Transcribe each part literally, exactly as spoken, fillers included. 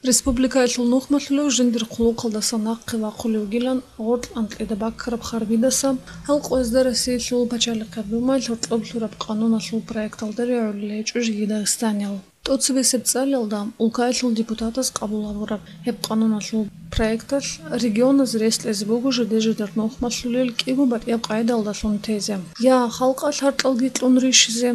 Республикаялъул нухмалъулев жиндир хъулухъалдаса нахъе вахъулев вугилан гъоркь анкьида баккараб харбидаса, гьал къоязда Россиялъул пачалихъаб Думаялъ гьоркьоб лъураб къануналъул проекталда регӀулел гьечӀо жеги дагъистаниял. ТӀоцебесеб цӀалиялда улкаялъул депутатаз къабул гьабураб гьеб къануналъул проекталъ регионаз рес кьезе буго жидер-жидер нухмалъулел кӀиго батӀияб къайдалдалъун тезе, я халкъалъ гьаркьалги кьун рищизе,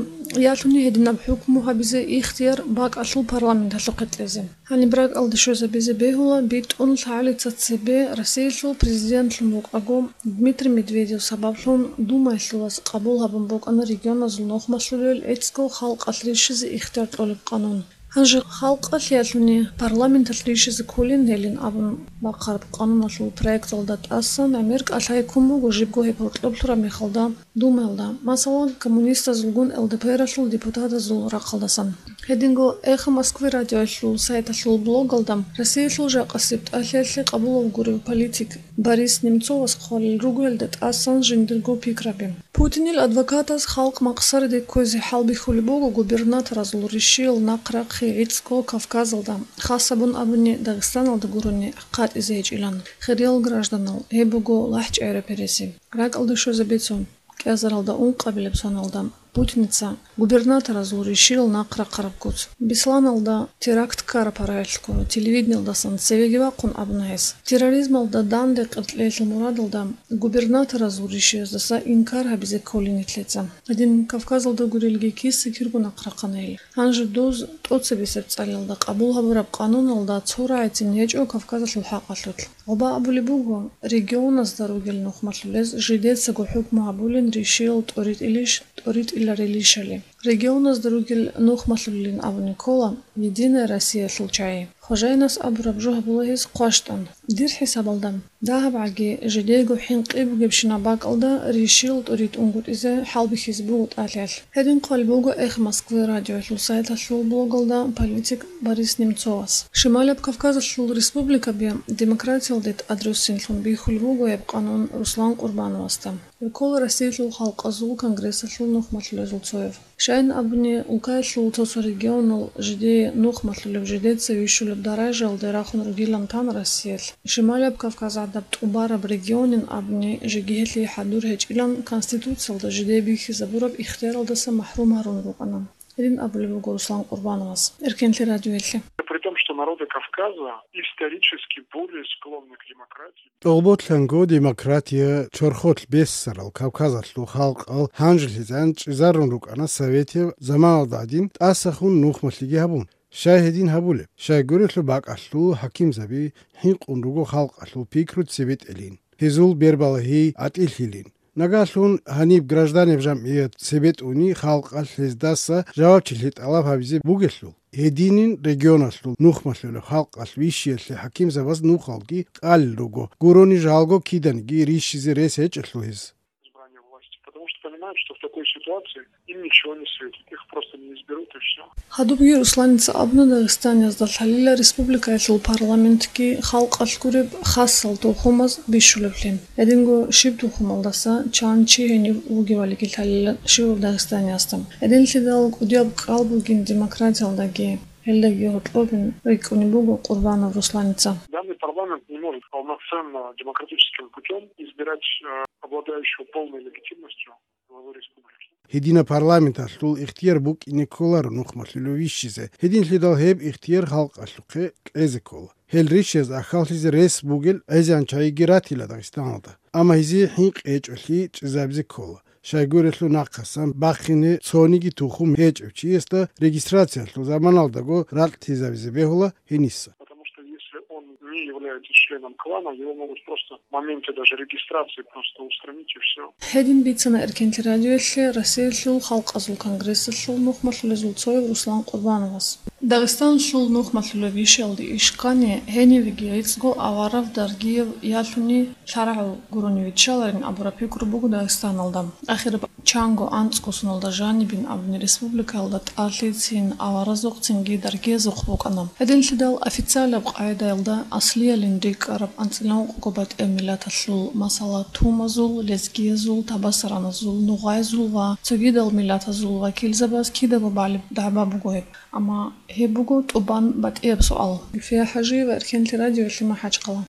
ялъуни гьединаб хӀукму гьабизе ихтияр бакӀалъул парламенталъухъе кьезе. Гьаниб ракӀалде щвезабизе бегьула, битӀун лъагӀалица цебе Россиялъул президентлъун вукӀаго Дмитрий Медведев сабаблъун Думаялъулас къабул гьабун букӀана регионазул нухмалъулел гӀицӀго халкъалъ рищизе ихтияр кьолеб къанун. Гьанже халкъалъ ялъуни парламенталъ рищизе кколин гьелин абун бахъараб къануналъул проекталда тӀасан гӀемер кӀалъай ккун буго жибго гьеб гьоркьоб лъураб мехалда Думаялда, масала, коммунистазулгун ЛДПРалъул депутатазул рахъалдасан. Гьединго «Эхо Москвы» радиоялъул сайталъул блогалда Россиялъул жакъасеб тӀалъиялъе къабулав гурев политик Борис Немцовас хъвалел руго гьелда тӀасан жиндирго пикраби. Путинил адвокатаз халкъ махсараде кквезе хӀалбихьулеб буго губернаторазул рищиял нахърахъи гӀицӀго Кавказалда, хасабун абуни Дагъистаналда гурони, хъатӀизе гьечӀилан. Хириял гражданал, гьеб буго лахӀчӀайра переси. РакӀалде щвезабецо, кӀиазаралда ункъабилеб соналда Путиница губернаторазул рищиял нахърахъараб куц. Бесланалда теракт ккараб гьаракьалъго телевидениялдасан цевеги вахъун абуна гьес. Терроризмалда данде къеркьеялъул мурадалда губернаторазул рищияздаса инкар гьабизе кколин нилъеца. Гьедин Кавказалда гурелги киса кирго нахърахъана гьел. Гьанже доз тӀоцебесеб цӀалиялда къабул гьабураб къануналда цо рагӀицин гьечӀо Кавказалъул хӀакъалъулъ. Гъоба абулеб буго, регионазда ругел нухмалъулез жидецаго хӀукму гьабулин рищиял тӀоритӀилищ-, тӀоритӀиларилищали. Регионазда ругел нухмалъулилин абуни ккола «Единая Россиялъул» чагӀи. Хожайинас абураб жо гьабула гьес хъващтӀан. Дир хӀисабалда, дагьабгӀаги жидейго хӀинкъи бугебщинаб бакӀалда рищиял тӀоритӀунгутӀизе хӀалбихьизе буго тӀалъиялъ. Гьедин хъвалеб буго «Эхо Москвы» радиоялъул сайталъул блогалда политик Борис Немцовас. Шималаб Кавказалъул республикаби демократиялде тӀадруссинлъун бихьулеб буго гьеб къанун Руслан Къурбановасда. Гьев ккола Россиялъул халкъазул конгрессалъул нухмалъулезул цояв. Щайин абуни, улкаялъул цо-цо регионал жидее нухмалъулеб, жидеца вищулеб даражаялде рахун ругилан тан Россиялъ. Шималаб Кавказ гӀадаб тӀубараб регионин абуни, жеги гьелъие хӀадур гьечӀилан Конституциялда жидее бихьизабураб ихтияралдаса махӀрум гьарун рукӀана. Гьедин абулеб буго Руслан Къурбановас Эркенлъи радиоялъе. При том, что народы Кавказа исторически более склонны к демократии. ТӀолболъанго демократия чорхолъ бессарал Кавказалъул халкъал гьанжелъизан чӀезарун рукӀана советияб заманалда гӀадин тӀасахун нухмалъиги гьабун. Щай гьедин гьабулеб? Щайгурелъул бакӀалъул хӀакимзаби хӀинкъун руго халкъалъул пикру цебетӀелин, гьезул бербалагьи гӀатӀилъилин. Нагагьлъун гьаниб гражданиб жамгӀият цебетӀуни халкъалъ гьездаса жавабчилъи тӀалаб гьабизе бугелъул, гьединин регионалъул нухмалъулеб халкъалъ вищиялъе хӀакимзабаз нухалги къалел руго, гурони жалго киданиги рищизе рес гьечӀелъул гьез. Избрание власти, потому что понимают, что в такой ситуации им ничего не светит, их просто не изберут и все. Гьадубги Русланица абуна Дагъистаниязда лъалила республикаялъул парламентги халкъалъ гуреб хасал тухумаз бищулеблъи. Гьединго щиб тухумалдаса чан чи гьенив вугевалиги лъалила щивав Дагъистаниясда. Гьединлъидал кӀудияб кӀал бугин демократиялдаги, гьелдаги гьоркьобин рикӀкӀунеб буго Къурбанов Русланица. Данный парламент не может полноценно демократическим путём избирать, э, обладающего полной легитимностью главу республики. Гьединаб парламенталъул ихтияр букӀине кколаро нухмалъулев вищизе, гьединлъидал гьеб ихтияр халкъалъухъе кьезе ккола. Гьел рищиз ахьаллъизе рес бугел гӀезегӀан чагӀиги ратила Дагъистаналда, амма гьезие хӀинкъи гьечӀолъи чӀезабизе ккола. Щайгурелъул нахъасан бахине цониги тухум гьечӀев чиясда регистрациялъул заманалдаго ракьлъизабизе бегьула гьениса. Потому что если он не является членом клана, его могут просто в моменте даже регистрации просто устранить и все. Гьедин бицана Эркенлъи радиоялъе Россиялъул халкъазул конгрессалъул нухмалъулезул цояв Руслан Къурбановас. Дагъистаналъул нухмалъулеб вищиялде иш ккани, гьенивеги гӀицӀго аварав даргияв ялъуни лъарагӀав гурони виччаларин абураб пикру буго Дагъистаналда. Ахираб чанго анцӀго соналда жанибин абуни республикаялда тӀалъицин, аваразухъцинги даргиязухъ букӀана. Гьединлъидал официалаб къагӀидаялда аслиялин рикӀкӀараб анцӀила ункъго батӀияб миллаталъул, масала, тумазул, лезгиязул, табасараназул, нугъайзул ва цогидал миллатазул вакилзабаз кидаго балеб дагӀба буго гьеб. Амма Гьеб буго тӀубан батӀияб суал. Гульфия ХӀажиева, Эрхенлъи радиоялъе, МахӀачхъала.